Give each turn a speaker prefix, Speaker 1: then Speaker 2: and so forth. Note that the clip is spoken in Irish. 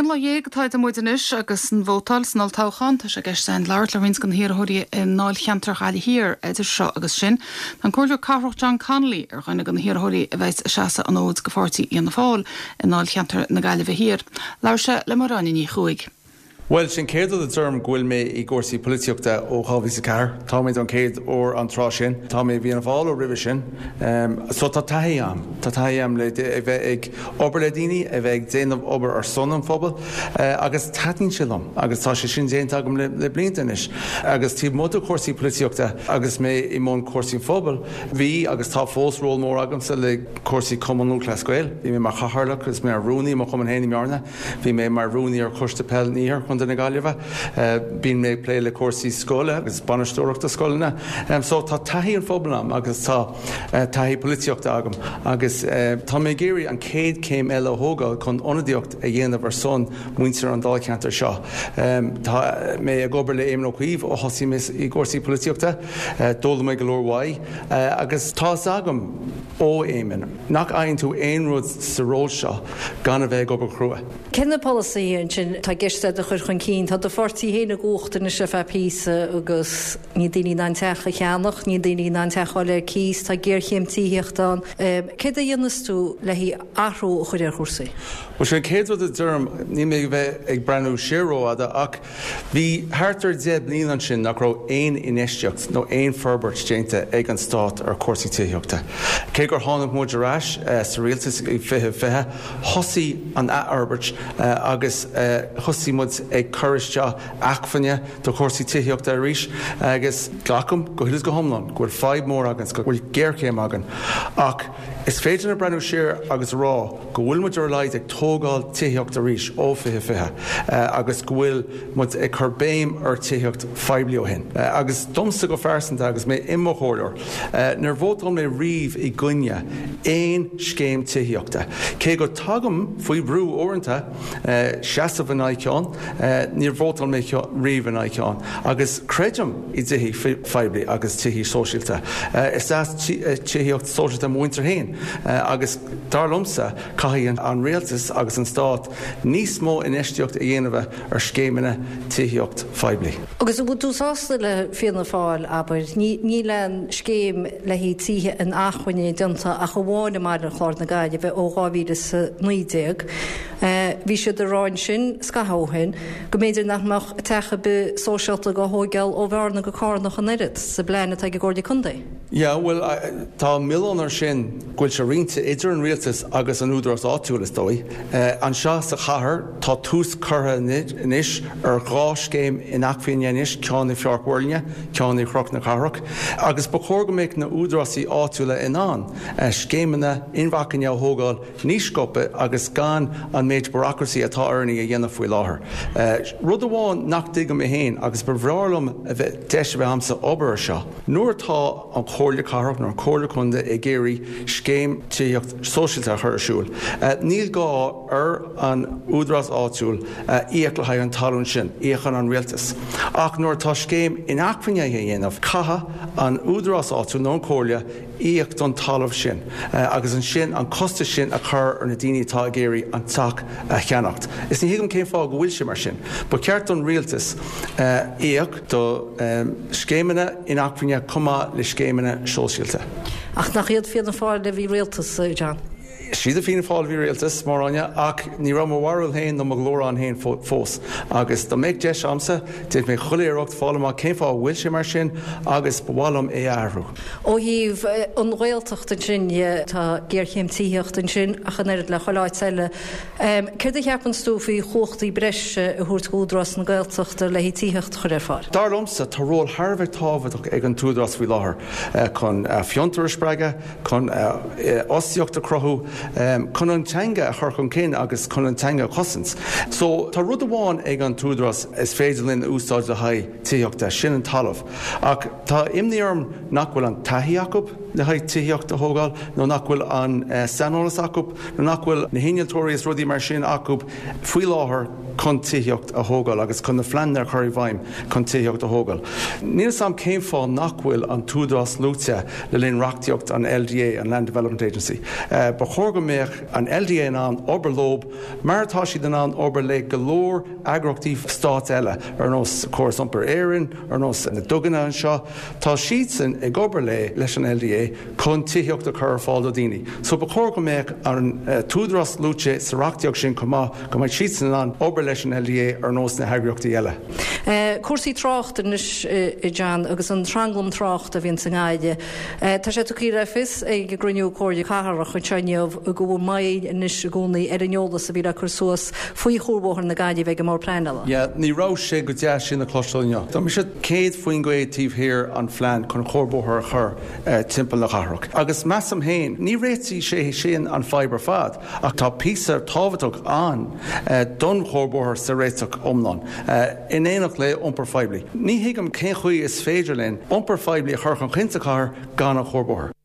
Speaker 1: Aon lá dhéag atá idir muid anois agus an vótáil san olltoghchán. Tá sé i gceist againn labhairt le roinnt de na hiarrthóirí i ndáilcheantar Ghaillimh Thiar idir seo agus sin. Tá an Comhairleoir Cathrach John Connolly ar dhuine de na hiarrthóirí a bheidh ag seasamh an fhóid do pháirtí Fhianna Fáil i ndáilcheantar na Gaillimhe Thiar. Labhair sé le Máire Áine Ní Chuaig.
Speaker 2: Bhuel, sin chéad rud a deirim go bhfuil mé i gcúrsaí polaitíochta ó 2004. Tá mé don chéad uair an tráth sin. Tá mé i bhFianna Fáil ó roimhe sin. So tá taithí agam. Tá taithí agam le a bheith ag obair le daoine, a bheith ag déanamh obair ar son an phobail agus taitníonn sé liom agus tá sé sin déanta agam le blianta anois. Agus taobh amuigh de chúrsaí polaitíochta agus mé i mbun cúrsaí an phobail, bhí agus tá fós ról mór agamsa le cúrsaí Cumann Lúthchleas Gael. Bhí mé mar chathaoirleach agus mar rúnaí i mo chumann féin i mBearna. Bhí mé mar rúnaí ar Choiste Peil an Iarthair Chontae na Gaillimhe. Bíonn mé ag plé le cúrsaí scoile agus bainisteoireachta scoileanna. So tá taithí an phobail agam agus tá taithí polaitíochta agam agus tá mé ag iarraidh an chéad chéim eile a thógáil chun ionadaíocht a dhéanamh ar son muintir an dáilcheantair seo. Tá mé ag obair le Éamon Ó Cuív ó thosaigh mé i gcúrsaí polaitíochta. D'fhoghlaim mé go leor uaidh agus tá fhios agam ó Éamon nach fhaigheann tú aon rud sa ról seo gan a bheith ag obair chrua.
Speaker 3: Cé na polasaithe ansin atá i gceist agat a chur chun cinn? Tá do pháirtí féin i gcumhacht anois ar feadh píosa agus níl daoine in ann teach a cheannach, níl daoine in ann teach a fháil ar cíos, tá géarchéim tithíochta ann. Céard a dhéanfas tú le haghaidh athrú a chur ar chúrsaí?
Speaker 2: Bhuel, sin an chéad rud a deirim, níl mé ag bheith ag breathnú siar rófhada ach Bhí thart ar 10 bliana ansin nach raibh aon infheistíocht nó aon forbairt déanta ag an stát ar chúrsaí tithíochta. Cé gur tháinig muid ar ais sa rialtas i 2020, thosaigh an athfhorbairt agus thosaigh muid ag cur isteach acmhainne do chúrsaí tithíochta arís agus glacaim go huile is go hiomlán go bhfuil fadhb mór againn, go bhfuil géarchéim againn ach is féidir linn breathnú siar agus a rá go bhfuil muid ar a laghad ag tógáil tithíocht arís ó 2020 agus go bhfuil muid ag cur béim ar tithíocht phoiblí ó shin. Agus domsa go phearsanta agus mé i mo chomhairleoir, níor vótáil mé riamh i gcoinne aon scéim tithíochta. Cé go dtagaim faoi bhrú uaireanta seasamh in aghaidh ceann, níor vótáil mé riamh in aghaidh ceann. Agus creidim i dtithí phoiblí agus tithí sóisialta. Is deas tithíocht sóisialta mo mhuintir féin agus dar liomsa caithfidh an rialtas agus an stát níos mó infheistíocht a dhéanamh ar scéimeanna tithíocht phoiblí.
Speaker 3: Agus an bhfuil tú sásta le Fianna Fáil, abair? Níl aon scéim le haghaidh tithe inacmhainne déanta ach amháin i mBaile an Chláir na Gaillimhe ó 2019. Bhí siad ag rá ansin scaitheamh ó shin go mb'fhéidir nach mbeadh teach ar bith sóisialta á thóigeáil ó Bhearna go Carna ach an oiread, sa bplean atá ag an gComhairle Contae.
Speaker 2: Yeah, bhuel, tá an milleán ar sin go bhfuil sé roinnte idir an rialtas agus an údarás áitiúil, is dóigh. Anseo sa chathair, tá tús curtha anois ar dhá scéim inacmhainne anois, ceann i Pháirc Mhuirlinne, ceann i Chnoc na Cathrach, agus ba chóir go mbeadh na údarásaí áitiúla in ann scéimeanna inacmhainne a thógáil níos sciobtha agus gan an méid bureaucracy atá orainn a dhéanamh faoi láthair. Rud amháin nach dtuigim mé féin, agus ba bhreá liom a bheith deis a bheith agamsa obair ar seo, Nuair atá an Chomhairle Cathrach nó an Chomhairle Contae ag iarraidh scéim tithíocht sóisialta a chur ar siúl, níl gá ar an údarás áitiúil íoc le haghaidh an talún sin, íocann an rialtas. Ach nuair atá scéim inacmhainne á dhéanamh, caithfidh an údarás áitiúil nó an Chomhairle íoc don talamh sin agus ansin an costas sin a chur ar na daoine atá ag iarraidh an teach a cheannacht. Is ní thuigim cén fáth go bhfuil sé mar sin. Ba cheart don rialtas íoc. do scéimeanna inacmhainne chomh maith le scéimeanna sóisialta.
Speaker 3: Ach nach iad Fianna Fáil a bhí i rialtas, a John?
Speaker 2: Siad Fianna Fáil a bhí i rialtas, Máire Áine, ach ní raibh mo bharúil féin nó mo ghlór ann féin fós. Agus dá mbeadh deis agamsa, déanfaidh mé chuile iarracht fáil amach cén fáth a bhfuil sé mar sin agus ba mhaith liom é a athrú.
Speaker 3: Ó thaobh an Ghaeltacht ansin dhe, tá géarchéim tithíochta ansin ach an oiread le chuile áit eile. Céard a cheapanns tú faoi chumhachtaí breise a thabhairt d'Údarás na Gaeltachta le haghaidh tithíocht a chur ar fáil?
Speaker 2: Dar liomsa, tá ról thar a bheith tábhachtach ag an t-údarás faoi láthair chun fiontar a spreagadh, chun fhostaíocht a chruthú, chun an teanga a chur chun cinn agus chun an teanga a chosaint. So, tá rud amháin ag an t-údarás is féidir linn a úsáid le haghaidh tithíochta, sin an talamh. Ach tá imní orm nach bhfuil an taithí acu. le haghaidh tithíocht a thógáil nó nach bhfuil an saineolas acu nó nach bhfuil na hinnealtóirí is rudaí mar sin acu faoi láthair chun tithíocht a thógáil agus chun na phleananna a chur i bhfeidhm chun tithíocht a thógáil. Níl 'fhios a'm cén fáth nach bhfuil an tÚdarás luaite le linn reachtaíocht an LDA, an Land Development Agency. Ba chóir go mbeadh an LDA in ann obair leob mar atá siad in ann obair le go leor eagraíochtaí stáit eile ar nós Córas Iompair Éireann, ar nós na duganna anseo. Tá siadsan ag obair le leis an LDA chun tithíocht a chur ar fáil do dhaoine. So ba chóir go mbeadh an tÚdarás luaite sa reachtaíocht sin chomh maith, go mbeadh siadsan in ann obair leis an LDA ar nós na heagraíochtaí eile.
Speaker 3: Cúrsaí tráchta anois, a John, agus an tranglam tráchta a bhíonn sa nGaillimh. Tá sé tugtha le fios ag an gcruinniú Comhairle Cathrach anseo inniu go bhfuil moill anois i gcónaí ar an eolas a bhí le cur suas faoi Chuarbhóthar na Gaillimhe ag an mBord Pleanála.
Speaker 2: Yeah, ní raibh sé go deas sin a chloisteáil inniu. Tá mise 100% taobh thiar an phlean chun cuarbhóthar a chur timpeall na cathrach. Agus measaim féin, ní réiteoidh sé sin an fadhb ar fad, ach tá píosa tábhachtach ann don chuarbhóthar sa réiteach iomlán, in éineacht le iompar phoiblí. Ní thuigim cén chaoi is féidir linn iompar phoiblí a chur chun cinn sa chathair gan an chuarbhóthar.